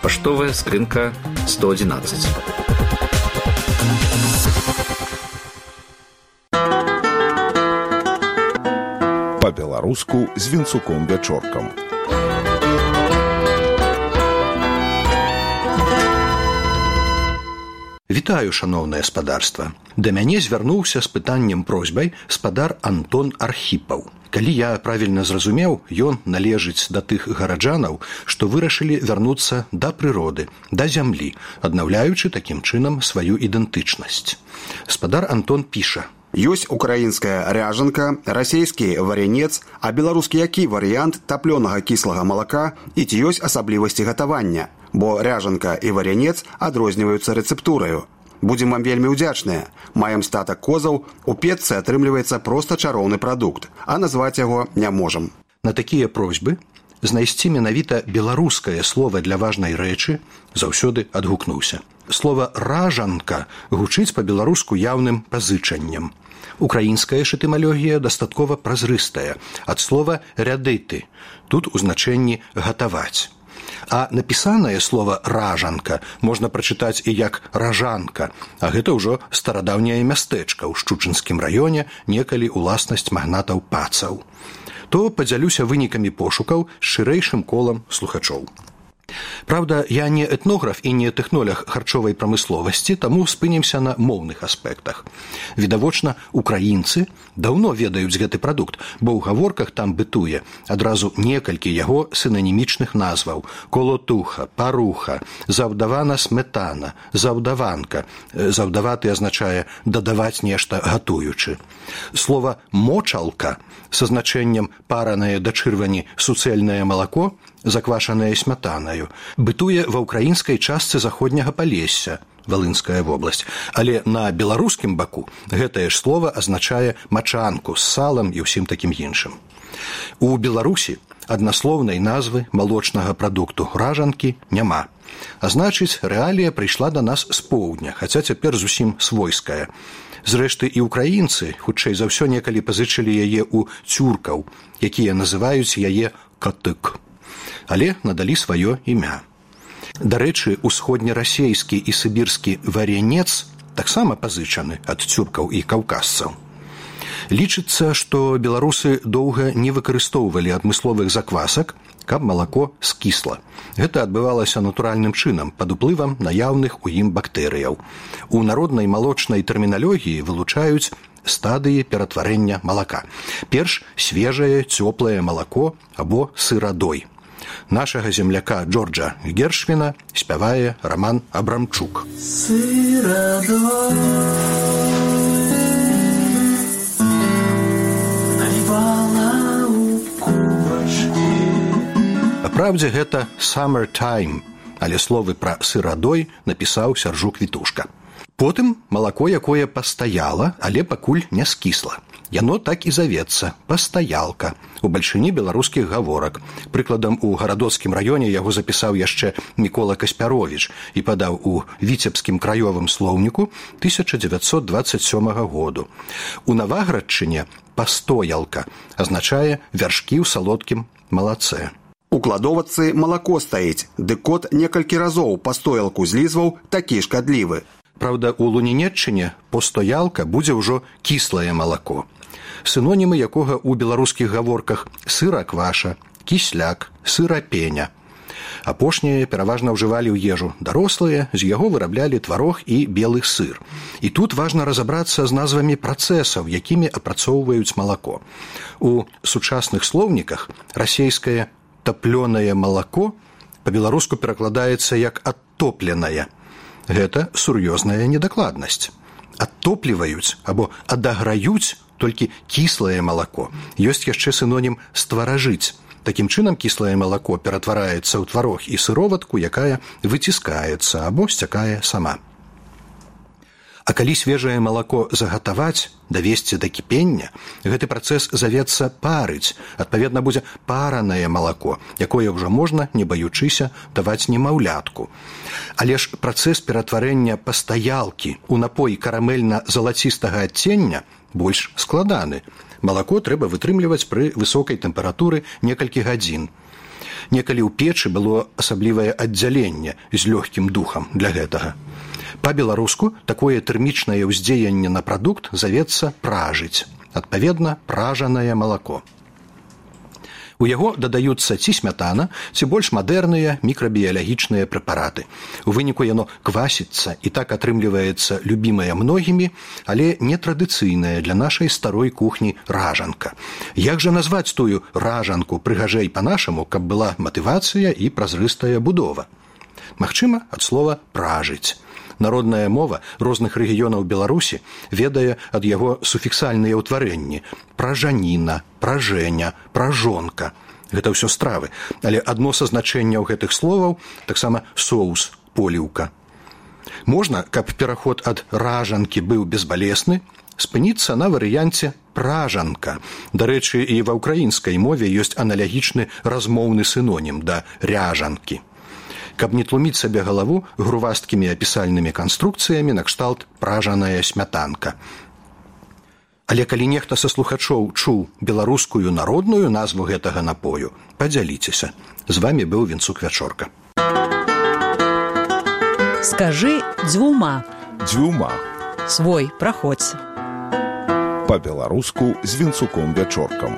Паштовая скрынка 111. Па-беларуску з Вінцуком Вячоркам. Вітаю, шаноўнае спадарства. Да мяне звярнуўся з пытаннем просьбай спадар Антон Архіпаў. Калі я правільна зразумеў, ён належыць да тых гараджанаў, што вырашылі вярнуцца да прыроды, да зямлі, аднаўляючы такім чынам сваю ідэнтычнасць. Спадар Антон піша: Ёсць украінская ряжанка, расійскі варянец, а беларускі які варыянт таплёнага кіслага малака і ці ёсць асаблівасці гатавання, бо ряжанка і варянец адрозніваюцца рэцэптураю. Будзем вам вельмі ўдзячныя. Маем статак козаў, у печцы атрымліваецца проста чароўны прадукт, а назваць яго не можам. На такія просьбы знайсці менавіта беларускае слова для важнай рэчы заўсёды адгукнуўся. Слова «ражанка» гучыць па-беларуску яўным пазычаннем. Украінская ж этымалогія дастаткова празрыстая, ад слова «рядыты». Тут у значэнні «гатаваць». А напісанае слова «ражанка» можна прачытаць і як «ражанка», а гэта ўжо старадаўняе мястэчка ў Шчучынскім раёне, некалі ўласнасць магнатаў пацаў. То падзялюся вынікамі пошукаў з шырэйшым колам слухачоў. Праўда, я не этнограф і не тэхнолог харчовай прамысловасці, таму спынімся на моўных аспектах. Відавочна, украінцы даўно ведаюць гэты прадукт, бо ў гаворках там бытуе адразу некалькі яго сінанімічных назваў: колотуха, паруха, заўдавана сметана, заўдаванка. Заўдаваты азначае дадаваць нешта гатуючы. Слова «мочалка» са значэннем паранае да чырвані суцэльнае малако, заквашанае смятанаю, бытуе ва ўкраінскай частцы заходняга Палесся, Валынская вобласць, але на беларускім баку гэтае ж слова азначае мачанку з салам і ўсім такім іншым. У Беларусі аднаслоўнай назвы малочнага прадукту ражанкі няма. А значыць, рэалія прыйшла да нас з поўдня, хаця цяпер зусім свойская. Зрэшты, і ўкраінцы, хутчэй за ўсё, некалі пазычылі яе ў цюркаў, якія называюць яе катык. Але надалі сваё імя. Дарэчы, усходнерасейскі і сібірскі варянец таксама пазычаны ад цюркаў і каўказцаў. Лічыцца, што беларусы доўга не выкарыстоўвалі адмысловых заквасак, каб малако скісла. Гэта адбывалася натуральным чынам, пад уплывам наяўных у ім бактэрыяў. У народнай малочнай тэрміналогіі вылучаюць стадыі ператварэння малака. Перш свежае, цёплае малако або сырадой. Нашага земляка Джорджа Гершвіна спявае Раман Абрамчук. Сырадой наливала у кубачкі. Папраўдзе, гэта «summertime», але словы пра сырадой напісаў Сяржук Вітушка. Потым малако, якое пастаяла, але пакуль не скісла. Яно так і завецца – пастаялка у бальшыні беларускіх гаворак. Прыкладам, у гарадоцкім раёне яго запісаў яшчэ Мікола Каспяровіч і падаў у віцебскім краёвым слоўніку 1927 году. У Наваградчыне «пастоялка» азначае вяршкі ў салодкім малацэ. У кладовачцы малако стаіць, ды кот некалькі разоў пастоялку злізваў, такі шкадлівы. Праўда, у Лунінеччыне «постоялка» будзе ўжо кіслае малако. Сінонімы якога ў беларускіх гаворках сыра-кваша, кісляк, сыра-пеня. Апошнія пераважна ўжывалі ў ежу дарослыя, з яго выраблялі тварог і белы сыр. І тут важна разабрацца з назвамі працэсаў, якімі апрацоўваюць малако. У сучасных слоўніках расейскае «таплёнае малако» па-беларуску перакладаецца як «адтопленае». Гэта сур'ёзная недакладнасць. Адтопліваюць або адаграюць толькі кіслае малако. Ёсць яшчэ сінонім «стваражыць». Такім чынам кіслае малако ператвараецца ў тварог і сыроватку, якая выціскаецца або сцякае сама. А калі свежае малако загатаваць, давесці да кіпення, гэты працэс завецца парыць. Адпаведна, будзе паранае малако, якое ўжо можна, не баючыся, даваць немаўлятку. Але ж працэс ператварэння пастаялкі ў напой карамельна-залацістага адцення больш складаны. Малако трэба вытрымліваць пры высокай тэмпературы некалькі гадзін. Некалі ў печы было асаблівае аддзяленне з лёгкім духам для гэтага. Па-беларуску такое тэрмічнае ўздзеянне на прадукт завецца пражыць. Адпаведна, пражанае малако. У яго дадаюцца ці смятана, ці больш мадэрныя мікрабіялагічныя прэпараты. У выніку яно квасіцца і так атрымліваецца любімая многімі, але нетрадыцыйная для нашай старой кухні ражанка. Як жа назваць тую ражанку прыгажэй па-нашаму, каб была матывацыя і празрыстая будова? Магчыма, ад слова «пражыць». Народная мова розных рэгіёнаў Беларусі ведае ад яго суфіксальныя ўтварэнні – пражаніна, пражэня, пражонка. Гэта ўсё стравы, але адно са значэнняў гэтых словаў таксама соус, поліўка. Можна, каб пераход ад ражанкі быў безбалесны, спыніцца на варыянце пражанка. Дарэчы, і ва ўкраінскай мове ёсць аналагічны размоўны сінонім да ряжанкі. Каб не тлуміць сабе галаву грувасткімі апісальнымі канструкцыямі накшталт пражаная смятанка. Але калі нехта са слухачоў чуў беларускую народную назву гэтага напою, падзяліцеся. З вамі быў Вінцук Вячорка. Скажы дзвюма. Дзвюма. Свой праходзь. Па-беларуску з Вінцуком Вячоркам.